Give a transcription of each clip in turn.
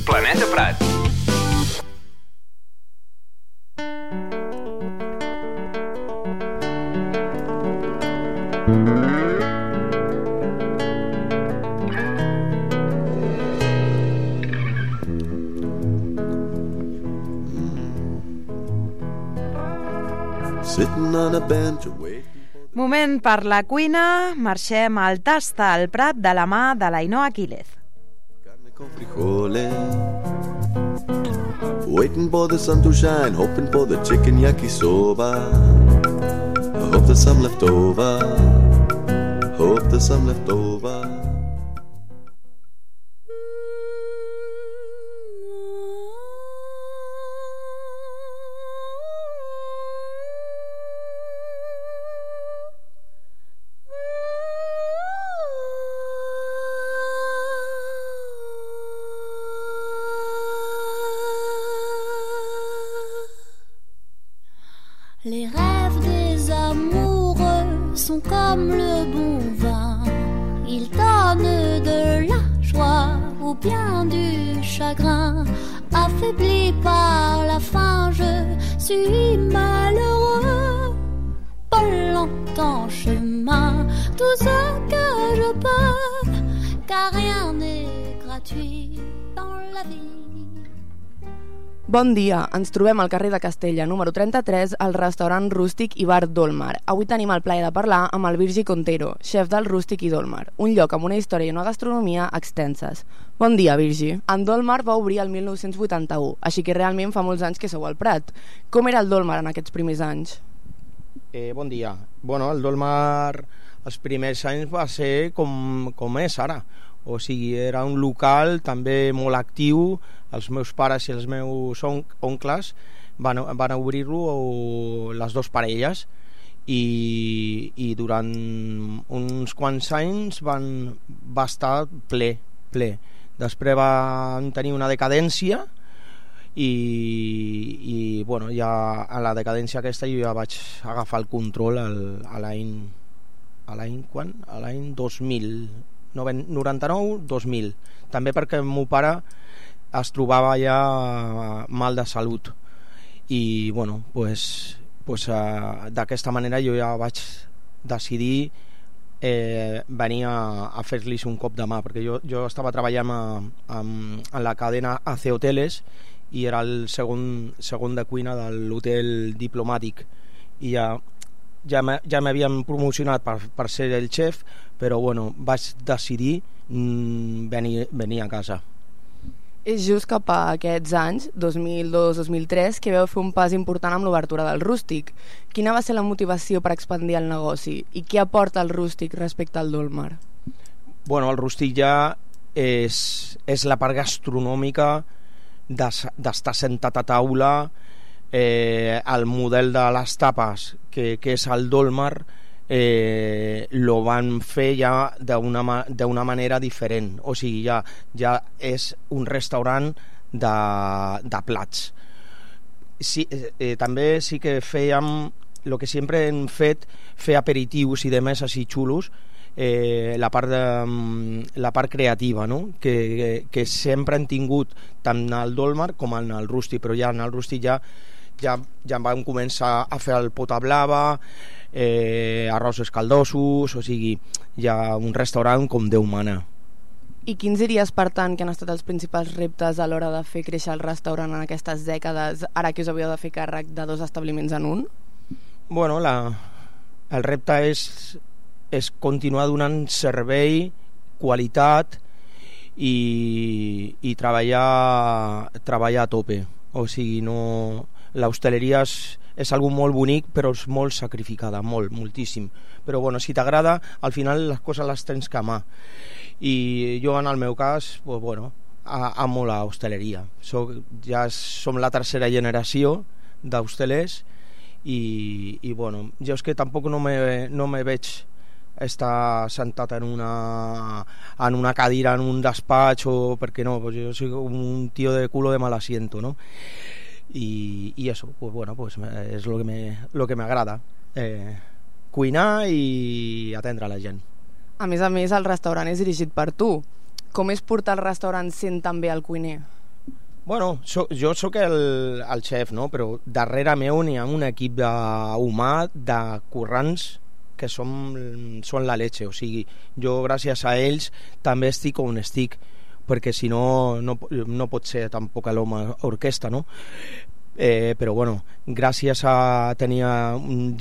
Planeta Prat. Moment per la cuina, marxem al Tasta al Prat de la mà de l'Ainhoa Quílez. Waiting for the sun to shine, hoping for the chicken yakisoba. I hope there's some left over. Hope there's some left over. Les rêves des amoureux sont comme le bon vin. Ils donnent de la joie ou bien du chagrin. Affaibli par la faim, je suis malheureux. Pas longtemps chemin, tout ce que je peux, car rien n'est gratuit dans la vie. Bon dia, ens trobem al carrer de Castella, número 33, al restaurant Rústic i bar Dolmar. Avui tenim el plaer de parlar amb el Virgi Contero, xef del Rústic i Dolmar, un lloc amb una història i una gastronomia extenses. Bon dia, Virgi. En Dolmar va obrir el 1981, així que realment fa molts anys que sou al Prat. Com era el Dolmar en aquests primers anys? Bon dia. Bueno, el Dolmar els primers anys va ser com és ara. O sigui, era un local també molt actiu. Els meus pares i els meus oncles van obrir-lo, les dues parelles, i durant uns quants anys va estar ple. Després van tenir una decadència i bueno, ja a la decadència aquesta jo ja vaig agafar el control a l'any 2000, 99-2000, també perquè el meu pare es trobava ja mal de salut i bueno, pues, d'aquesta manera jo ja vaig decidir venir a fer-los un cop de mà, perquè jo estava treballant en la cadena AC Hoteles i era el segon de cuina de l'hotel diplomàtic i ja m'havien promocionat per ser el xef, però bueno, vaig decidir venir a casa. És just cap a aquests anys, 2002-2003, que vau fer un pas important amb l'obertura del Rústic. Quina va ser la motivació per expandir el negoci i què aporta el Rústic respecte al Dolmar? Bueno, el Rústic ja és la part gastronòmica d'estar sentat a taula, el model de les tapes que és el Dolmar lo van fer ja d'una manera diferent, o sigui, ja és un restaurant de plats. Sí, també sí que fèiem el que sempre hem fet, fer aperitius i demés així xulos, la part creativa, no? que sempre hem tingut tant al Dolmar com al Rústic, però ja en el Rústic ja vam començar a fer el pota blava, arrossos caldosos, o sigui, ja un restaurant com Déu mana. I quins diries, per tant, que han estat els principals reptes a l'hora de fer créixer el restaurant en aquestes dècades, ara que us havíeu de fer càrrec de 2 establiments en un? Bueno, el repte és continuar donant servei, qualitat i treballar a tope. O sigui, l'hostaleria és algo molt bonic, però és molt sacrificada, moltíssim. Però bueno, si t'agrada, al final les coses les tens que amar. I jo, en el meu cas, pues, bueno, amo la hostaleria. Ja som la tercera generació d'hostelers i bueno, jo és que tampoc no me veig estar sentat en una cadira en un despatx, perquè no, pues jo soy un tío de culo de mal asiento, ¿no? Y eso, pues bueno, pues es lo que me agrada, cuinar i atendre a la gent. A més, el restaurant és dirigit per tu. Com és portar el restaurant sent també el cuiner? Bueno, jo sóc el xef, no? Però darrere meu n'hi ha un equip humà de currants que són la leche, o sigui, jo gràcies a ells també estic on estic, perquè si no pot ser tampoc l'home orquestra, no? Però bueno, gràcies a tenir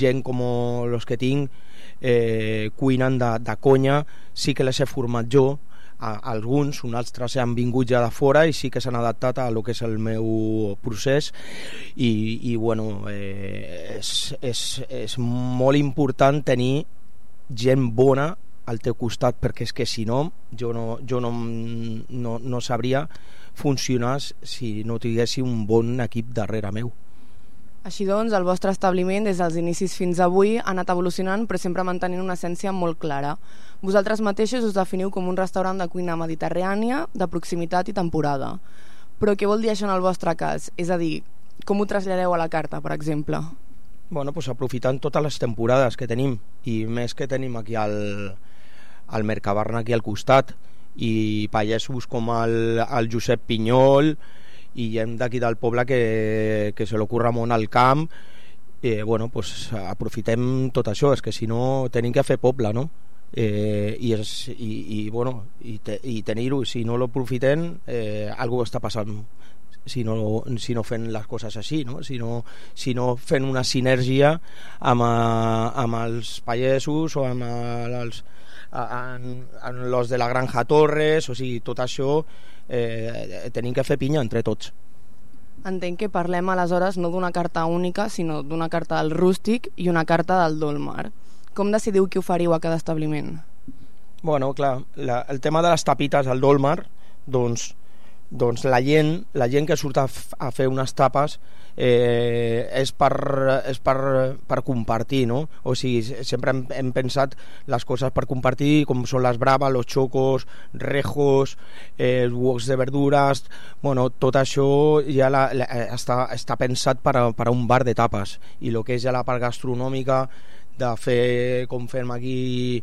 gent com els que tinc cuinant de conya, sí que les he format jo, alguns, uns altres han vingut ja de fora i sí que s'han adaptat a lo que és el meu procés i bueno, és molt important tenir gent bona al teu costat, perquè és que si no jo no sabria funcionar si no tinguessi un bon equip darrere meu. Així doncs, el vostre establiment, des dels inicis fins avui, ha anat evolucionant, però sempre mantenint una essència molt clara. Vosaltres mateixos us definiu com un restaurant de cuina mediterrània, de proximitat i temporada. Però què vol dir això en el vostre cas? És a dir, com ho traslladeu a la carta, per exemple? Bueno, pues aprofitant totes les temporades que tenim, i més que tenim aquí al Mercabarna, aquí al costat, i pagesos com el Josep Pinyol, i gent d'aquí del poble que se l'ocorre molt al camp, bueno, pues aprofitem tot això, és que si no tenim que fer poble, no? I tenir-ho, si no l'aprofitem, algú està passant si no fem les coses així, no? Si no fem una sinergia amb els pagesos o amb els de la Granja Torres, o sigui, tot això tenim que fer pinya entre tots. Entenc que parlem aleshores no d'una carta única, sinó d'una carta del rústic i una carta del dolmar. Com decidiu què oferiu a cada establiment? Bueno, clar, el tema de les tapites al dolmar, doncs la gent que surt a fer unes tapes és per compartir, no? O sigui, sempre hem pensat les coses per compartir, com són les bravas, los chocos, rejos, els woks de verdures, bueno, tot això ja està pensat per a un bar de tapes, i el que és ja la part gastronòmica de fer, com fem aquí,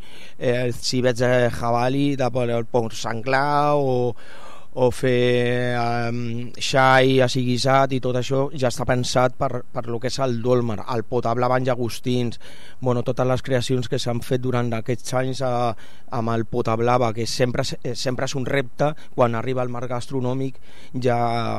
civets de javali, de porc senglar o fer xai així guisat, i tot això ja està pensat per lo que és el dolmar, el potablava en llagostins, bueno, totes les creacions que s'han fet durant aquests anys amb el potablava, que sempre és un repte. Quan arriba el mar gastronòmic ja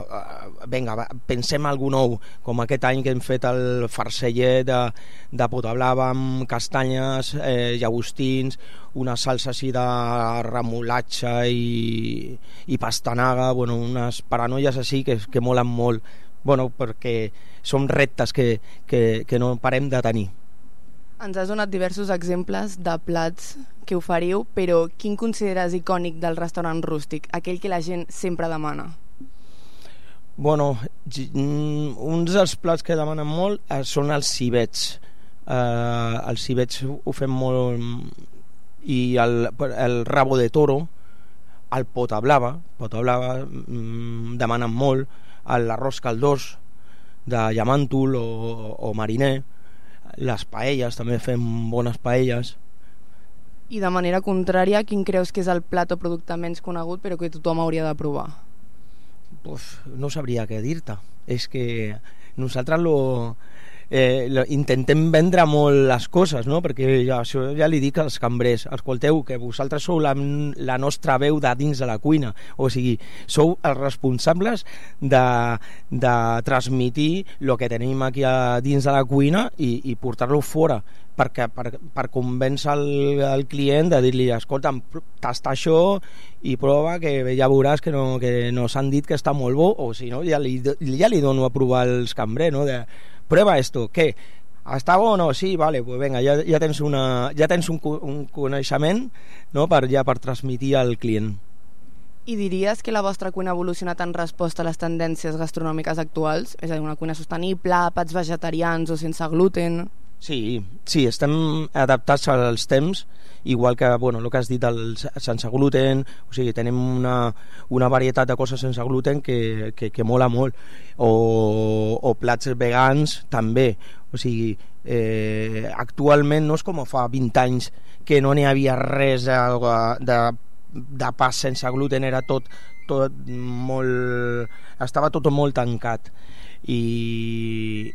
vinga, pensem algú nou, com aquest any que hem fet el farceller de potablava amb castanyes, llagostins, una salsa així de remolatge i pastanaga, bueno, unes paranoies així que molen molt, bueno, perquè són reptes que no parem de tenir. Ens has donat diversos exemples de plats que oferiu, però quin consideres icònic del restaurant rústic, aquell que la gent sempre demana? Bueno, uns dels plats que demanen molt són els civets. Els civets ho fem molt, i el rabo de toro, el potablava demanen molt, l'arròs caldós de llamàntol o mariner, les paelles, també fem bones paelles. I de manera contrària, quin creus que és el plat o producte menys conegut però que tothom hauria de provar? No sabria què dir-te, és que nosaltres intentem vendre molt les coses, no? Perquè això ja li dic als cambrers: escolteu, que vosaltres sou la nostra veu de dins de la cuina, o sigui, sou els responsables de transmitir el que tenim aquí a dins de la cuina i portar-lo fora, per convèncer el client de dir-li: escolta, tasta això i prova, que ja veuràs que nos han dit que està molt bo, o si no, ja li dono a provar els cambrers, no? Prueba esto, ¿qué? ¿Està bo o no? Sí, vale, pues venga, ja tens un coneixement, no? per transmitir al client. I diries que la vostra cuina ha evolucionat en resposta a les tendències gastronòmiques actuals? És a dir, una cuina sostenible, plats vegetarians o sense gluten? Sí, estem adaptats als temps, igual que, bueno, el que has dit sense gluten, o sigui, tenim una varietat de coses sense gluten que mola molt, o plats vegans també, o sigui, actualment no és com fa 20 anys que no n'hi havia res de de pas sense gluten era tot molt... estava tot molt tancat. I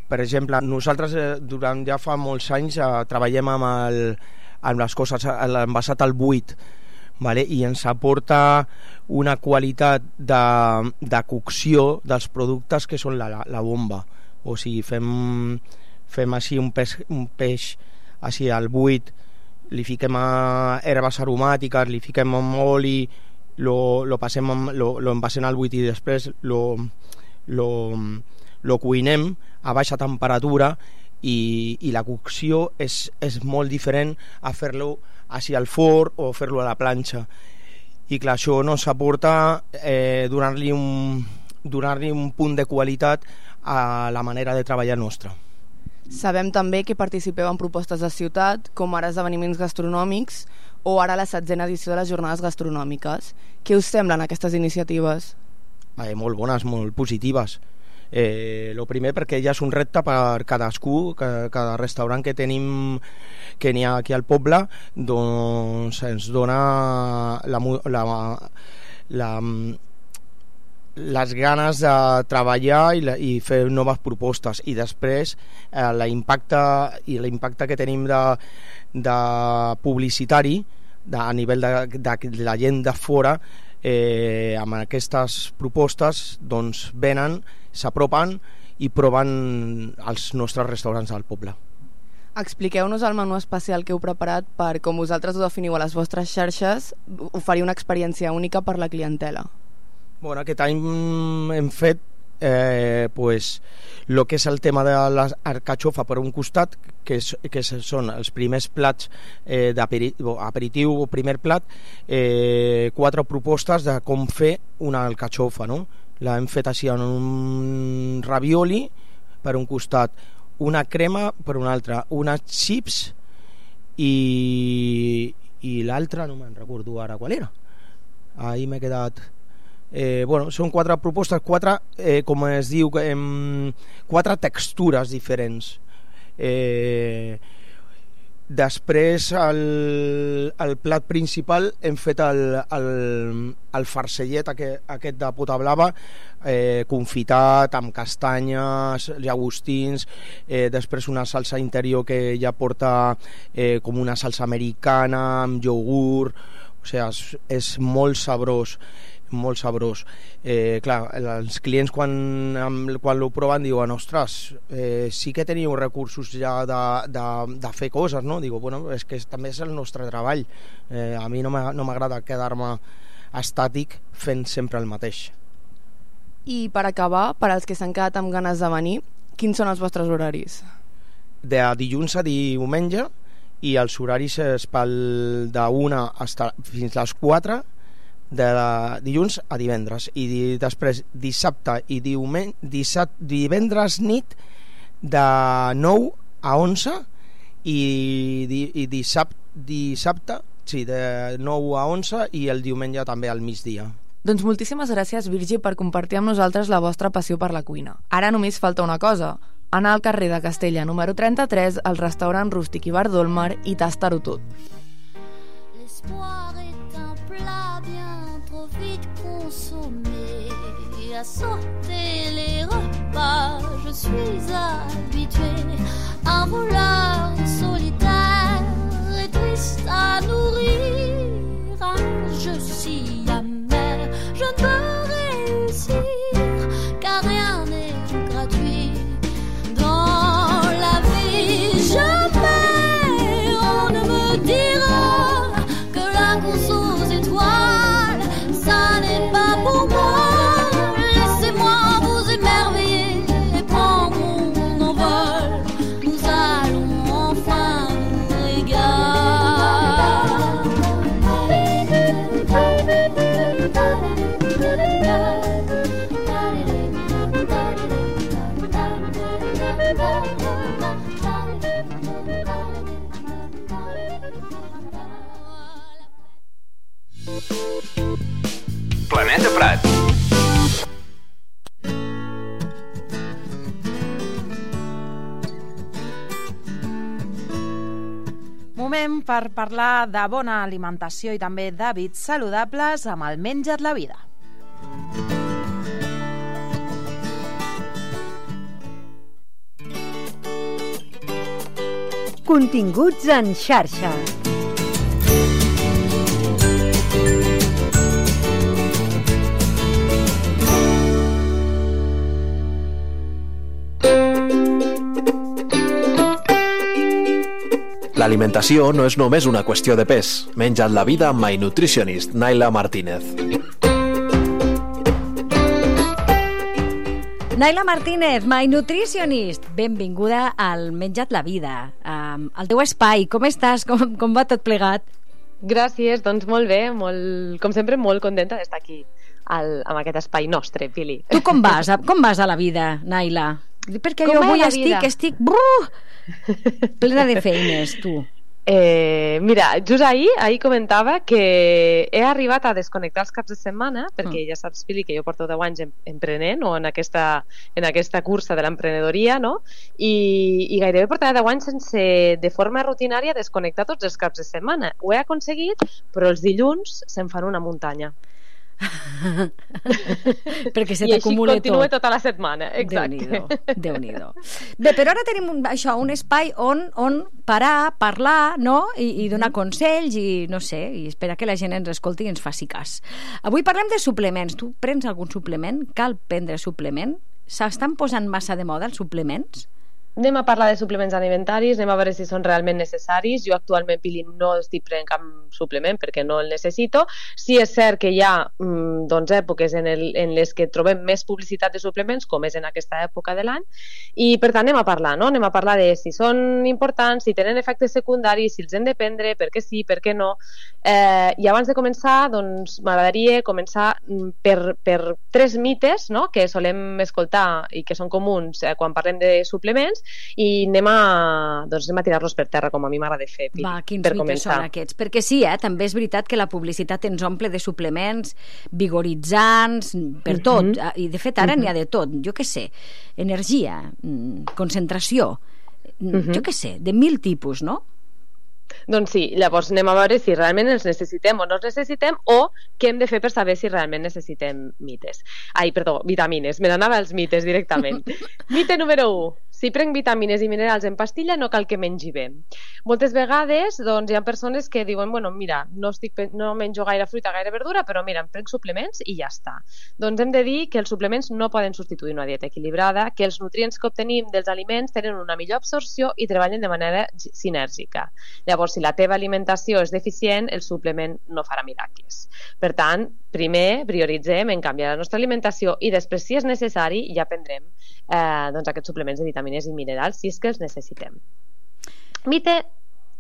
per exemple, nosaltres durant ja fa molts anys treballem amb les coses, l'envasat al buit, vale? I ens aporta una qualitat de cocció dels productes que són la bomba. O sigui, fem així un peix així al buit, li fiquem herbes aromàtiques, li fiquem amb oli, lo envasem al buit i després lo cuinem a baixa temperatura i la cocció és molt diferent a fer-lo així al forn o fer-lo a la planxa. I clar, això nos aporta donar-li un punt de qualitat a la manera de treballar nostra. Sabem també que participeu en propostes de ciutat, com ara esdeveniments gastronòmics o ara la 7a edició de les jornades gastronòmiques. Què us semblen aquestes iniciatives? Molt bones, molt positives. Lo primer perquè ja és un repte per cadascú, cada restaurant que tenim, que n'hi ha aquí al poble, doncs ens dona les ganes de treballar i fer noves propostes, i després l'impacte que tenim de publicitari a nivell de la gent de fora, amb aquestes propostes doncs venen, s'apropen i proven els nostres restaurants del poble. Expliqueu-nos el menú especial que heu preparat per, com vosaltres ho definiu a les vostres xarxes, oferir una experiència única per la clientela. Bueno, aquest any hem fet el que és el tema de l'arcatxofa per un costat, que són els primers plats d'aperitiu o primer plat, 4 propostes de com fer una alcatxofa, no? L'hem fet així en un ravioli per un costat, una crema per un altre, unes chips i l'altra no me'n recordo ara qual era. Ahir m'he quedat... són 4 propostes, 4, com es diu, 4 textures diferents. Després el plat principal hem fet el farcellet aquest de pota blava, confitat amb castanyes, llagostins, després una salsa interior que ja porta com una salsa americana amb iogurt, o sigui, és molt sabrós, molt sabrós. Clar, els clients quan ho proven diuen, ostres, sí que teniu recursos ja de fer coses, no? Digo, bueno, és que també és el nostre treball. A mi no m'agrada quedar-me estàtic fent sempre el mateix. I per acabar, per als que s'han quedat amb ganes de venir, quins són els vostres horaris? De dilluns a diumenge, i els horaris és de 1 fins a les 4, de dilluns a divendres, i després dissabte i divendres nit de 9 a 11 i dissabte sí, de 9 a 11 i el diumenge també al migdia. Doncs moltíssimes gràcies, Virgi, per compartir amb nosaltres la vostra passió per la cuina. Ara només falta una cosa, anar al carrer de Castella número 33, al restaurant Rústic i Bar Dolmar, i tastar-ho tot. L'espoir est un plat bien trop vite consommé. À sauter les repas, je suis habituée. Un voleur solitaire et triste à nourrir. Un jeu si amer, je ne peux réussir, car rien n'est gratuit dans la vie. Jamais on ne me dira que la course aux étoiles, ça n'est pas pour moi. Laissez-moi vous émerveiller et prendre mon envol. Nous allons enfin nous régaler. Planeta Prat. Moment per parlar de bona alimentació i també d'hàbits saludables amb el Menja't la vida. Continguts en xarxa. L'alimentació no és només una qüestió de pes. Menja't la vida amb My Nutritionist, Naila Martínez. Naila Martínez, My Nutritionist. Benvinguda al Menja't la vida, al teu espai. Com estàs? Com va tot plegat? Gràcies, doncs molt bé, com sempre molt contenta d'estar aquí amb aquest espai nostre, Pili. Tu com vas a la vida, Naila? Perquè jo avui estic plena de feines, tu. Mira, just ahir comentava que he arribat a desconnectar els caps de setmana, perquè ja saps, Pili, que jo porto 10 anys emprenent o en aquesta cursa de l'emprenedoria, no? I gairebé portava 10 anys sense, de forma rutinària, desconnectar tots els caps de setmana. Ho he aconseguit, però els dilluns se'm fan una muntanya. Perquè se t'acumula tot. I així continua tota la setmana, exacte. Déu-n'hi-do. Bé, però ara tenim un espai on parar, parlar, no? I donar consells i no sé, i esperar que la gent ens escolti i ens faci cas. Avui parlem de suplements. Tu prens algun suplement? Cal prendre suplement? S'estan posant massa de moda els suplements? Anem a parlar de suplements alimentaris, anem a veure si són realment necessaris. Jo actualment, Pili, no estic prenent cap suplement perquè no el necessito. Sí és cert que hi ha èpoques en les que trobem més publicitat de suplements, com és en aquesta època de l'any, i per tant anem a parlar, no? Anem a parlar de si són importants, si tenen efectes secundaris, si els hem de prendre, per què sí, per què no. I abans de començar, doncs m'agradaria començar per 3 mites, no?, que solem escoltar i que són comuns quan parlem de suplements, i anem a tirar-los per terra, com a mi m'agrada fer, Pili. Va, quins mites són aquests? Perquè sí, també és veritat que la publicitat ens omple de suplements vigoritzants, per tot, i de fet ara n'hi ha de tot, jo què sé, energia, concentració, jo què sé, de 1000 tipus, no? Doncs sí, llavors anem a veure si realment els necessitem o no els necessitem, o què hem de fer per saber si realment necessitem vitamines. Me n'anava als mites directament. Mite número 1. Si prenc vitamines i minerals en pastilla no cal que mengi bé. Moltes vegades hi ha persones que diuen, bueno, mira, no menjo gaire fruita, gaire verdura, però mira, em prenc suplements i ja està. Doncs hem de dir que els suplements no poden substituir una dieta equilibrada, que els nutrients que obtenim dels aliments tenen una millor absorció i treballen de manera sinèrgica. Llavors, si la teva alimentació és deficient, el suplement no farà miracles. Per tant, primer prioritzem en canviar la nostra alimentació i després, si és necessari, ja prendrem aquests suplements de vitamines i minerals si és que els necessitem. Mite,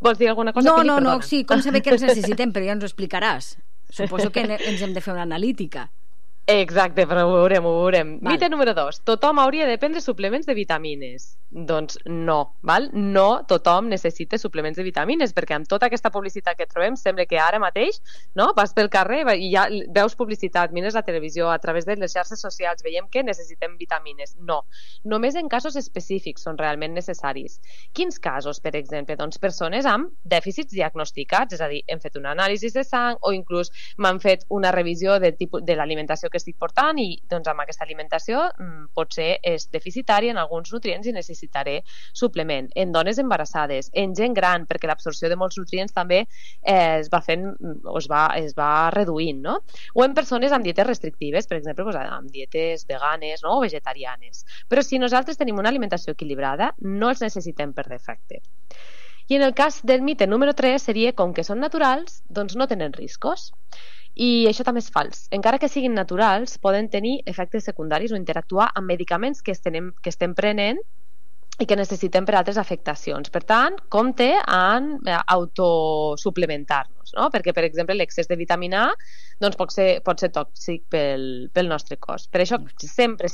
vols dir alguna cosa? No, sí, com saber que els necessitem, però ja ens ho explicaràs. Suposo que ens hem de fer una analítica. Exacte, però ho veurem. Mite número 2. Tothom hauria de prendre suplements de vitamines. Doncs no, val? No tothom necessita suplements de vitamines, perquè amb tota aquesta publicitat que trobem sembla que ara mateix, no, vas pel carrer i ja veus publicitat, mires la televisió, a través de les xarxes socials veiem que necessitem vitamines. No, només en casos específics són realment necessaris. Quins casos, per exemple? Doncs persones amb dèficits diagnosticats, és a dir, hem fet una anàlisi de sang o inclús m'han fet una revisió de l'alimentació que estic portant i amb aquesta alimentació potser és deficitària en alguns nutrients i necessitaré suplement. En dones embarassades, en gent gran, perquè l'absorció de molts nutrients també es va reduint, no? O en persones amb dietes restrictives, per exemple, amb dietes veganes, no?, o vegetarianes. Però si nosaltres tenim una alimentació equilibrada, no els necessitem per defecte. I en el cas del mite número 3 seria, com que són naturals, doncs no tenen riscos. I això també és fals. Encara que siguin naturals, poden tenir efectes secundaris o interactuar amb medicaments que estem prenent i que necessitem per altres afectacions. Per tant, compte en autosuplementar-nos, no? Perquè, per exemple, l'excés de vitamina A doncs pot ser tòxic pel nostre cos. Per això, sempre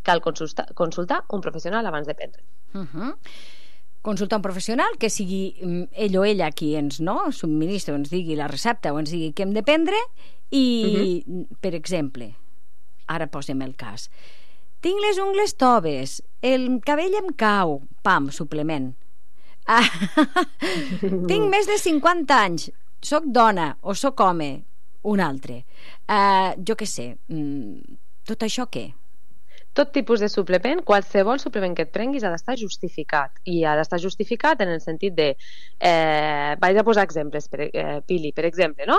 cal consultar un professional abans de prendre. Consultar un professional que sigui ell o ella qui ens subministra, o ens digui la recepta o ens digui què hem de prendre i, per exemple, ara posem el cas, tinc les ungles toves, el cabell em cau, pam, suplement. Tinc més de 50 anys, soc dona o soc home, un altre. Jo què sé, tot això què? Tot tipus de suplement, qualsevol suplement que et prenguis ha d'estar justificat, i ha d'estar justificat en el sentit de vaig a posar exemples, Pili, per exemple, no?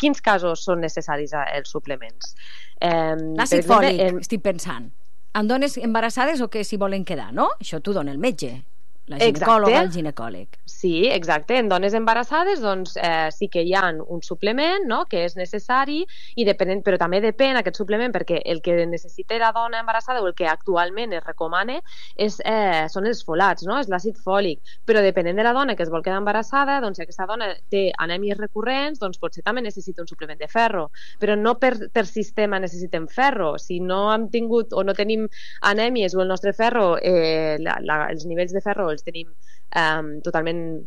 Quins casos són necessaris els suplements? L'àcid fòlic, estic pensant, en dones embarassades o que s'hi volen quedar, no? Això t'ho dona el metge, la ginecòloga, el ginecòleg. Sí, exacte. En dones embarassades doncs, sí que hi ha un suplement, no?, que és necessari, però també depèn aquest suplement, perquè el que necessita la dona embarassada o el que actualment es recomana són els folats, no?, és l'àcid fòlic. Però depenent de la dona que es vol quedar embarassada, doncs si aquesta dona té anèmies recurrents, doncs potser també necessita un suplement de ferro. Però no per sistema necessitem ferro. Si no hem tingut o no tenim anèmies o el nostre ferro, els nivells de ferro els tenim totalment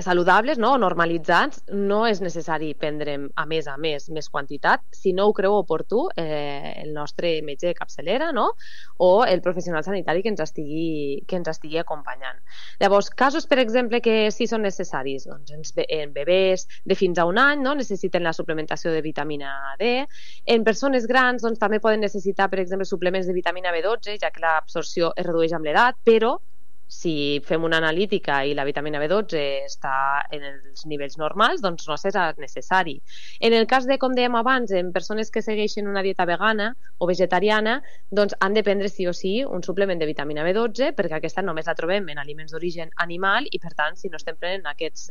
saludables, no?, normalitzats, no és necessari prendre a més més quantitat si no ho creu oportú el nostre metge de capçalera, no?, o el professional sanitari que ens estigui acompanyant. Llavors, casos, per exemple, que sí són necessaris, doncs en bebès de fins a un any, no?, necessiten la suplementació de vitamina D. En persones grans, doncs també poden necessitar, per exemple, suplements de vitamina B12, ja que l'absorció es redueix amb l'edat, però si fem una analítica i la vitamina B12 està en els nivells normals, doncs no serà necessari. En el cas de, com dèiem abans, en persones que segueixen una dieta vegana o vegetariana, doncs han de prendre sí o sí un suplement de vitamina B12, perquè aquesta només la trobem en aliments d'origen animal i, per tant, si no estem prenent aquests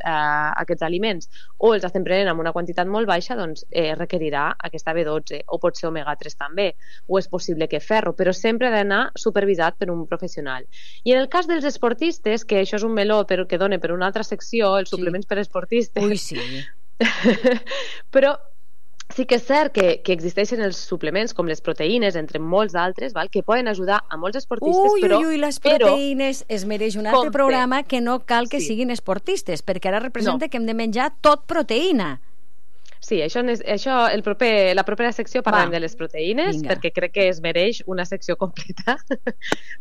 aliments o els estem prenent amb una quantitat molt baixa, doncs requerirà aquesta B12, o pot ser omega-3 també, o és possible que ferro, però sempre ha d'anar supervisat per un professional. I en el cas dels esportistes, que això és un meló però que dona per una altra secció, els suplements per esportistes. Ui, sí. Però sí que és cert que existeixen els suplements com les proteïnes, entre molts d'altres, que poden ajudar a molts esportistes, però... Ui, les proteïnes es mereix un altre programa que no cal que siguin esportistes, perquè ara representa que hem de menjar tot proteïna. Sí, la propera secció parlem de les proteïnes, perquè crec que es mereix una secció completa.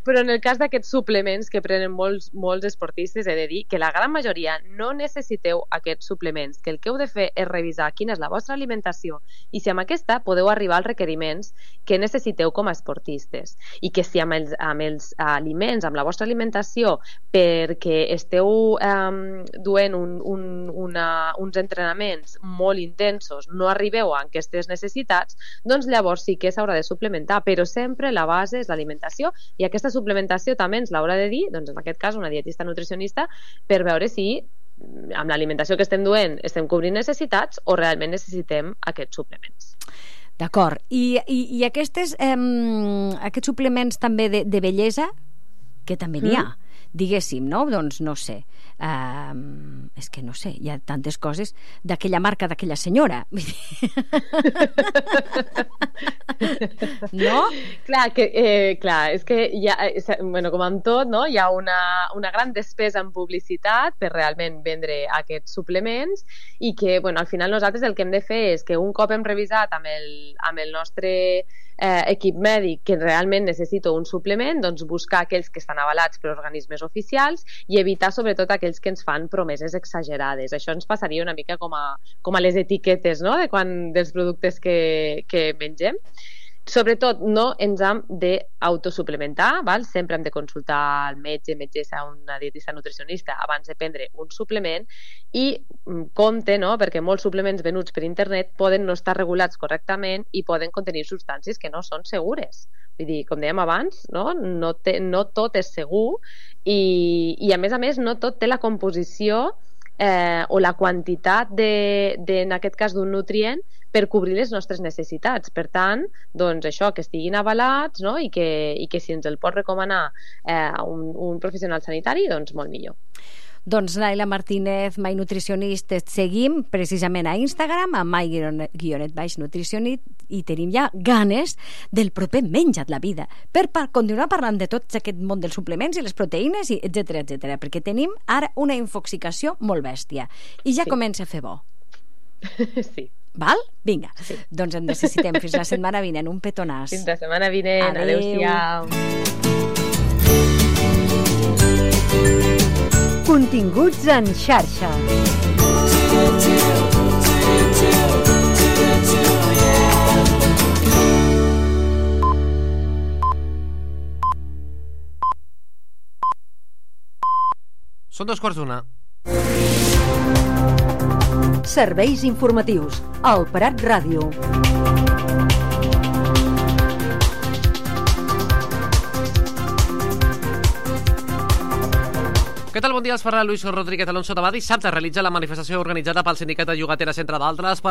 Però en el cas d'aquests suplements que prenen molts esportistes, he de dir que la gran majoria no necessiteu aquests suplements, que el que heu de fer és revisar quina és la vostra alimentació i si amb aquesta podeu arribar als requeriments que necessiteu com a esportistes. I que si amb els aliments, amb la vostra alimentació, perquè esteu duent uns entrenaments molt intensos, no arribeu a aquestes necessitats, doncs llavors sí que s'haurà de suplementar, però sempre la base és l'alimentació, i aquesta suplementació també ens l'haurà de dir, doncs en aquest cas una dietista nutricionista, per veure si amb l'alimentació que estem duent estem cobrint necessitats o realment necessitem aquests suplements. D'acord. I aquests suplements també de bellesa, que també n'hi ha, diguéssim, no? Doncs no sé. És que no sé, hi ha tantes coses d'aquella marca d'aquella senyora. No? Clar, és que com amb tot, no? Hi ha una gran despesa en publicitat per realment vendre aquests suplements i que al final nosaltres el que hem de fer és que un cop hem revisat amb el nostre equip mèdic que realment necessita un suplement, doncs buscar aquells que estan avalats per organismes oficials i evitar sobretot aquells que ens fan promeses exagerades. Això ens passaria una mica com a les etiquetes, no?, dels productes que mengem. Sobretot no ens hem d'autosuplementar, sempre hem de consultar el metgessa, una dietista nutricionista abans de prendre un suplement i compte, no?, perquè molts suplements venuts per internet poden no estar regulats correctament i poden contenir substàncies que no són segures. Vull dir, com dèiem abans, no tot és segur i a més no tot té la composició o la quantitat en aquest cas d'un nutrient per cobrir les nostres necessitats. Per tant, doncs això, que estiguin avalats, no?, i que si ens el pot recomanar un professional sanitari, doncs molt millor. Doncs Naila Martínez, My Nutricionist, et seguim precisament a Instagram, a my_nutricionist, i tenim ja ganes del proper Menja't la vida, per continuar parlant de tot aquest món dels suplements i les proteïnes, etcètera, perquè tenim ara una infoxicació molt bèstia i ja comença a fer bo. Sí. Val? Vinga. Sí. Doncs en necessitem. Fins la setmana vinent. Un petonàs. Fins la setmana vinent. Adéu-siau. Continguts en xarxa. Són 2:15. Serveis informatius. Al Prat Ràdio. Què tal? Bon dia, els parla Luis Rodríguez Alonso. Demà dissabte realitza la manifestació organitzada pel Sindicat de Llogateres, entre d'altres, per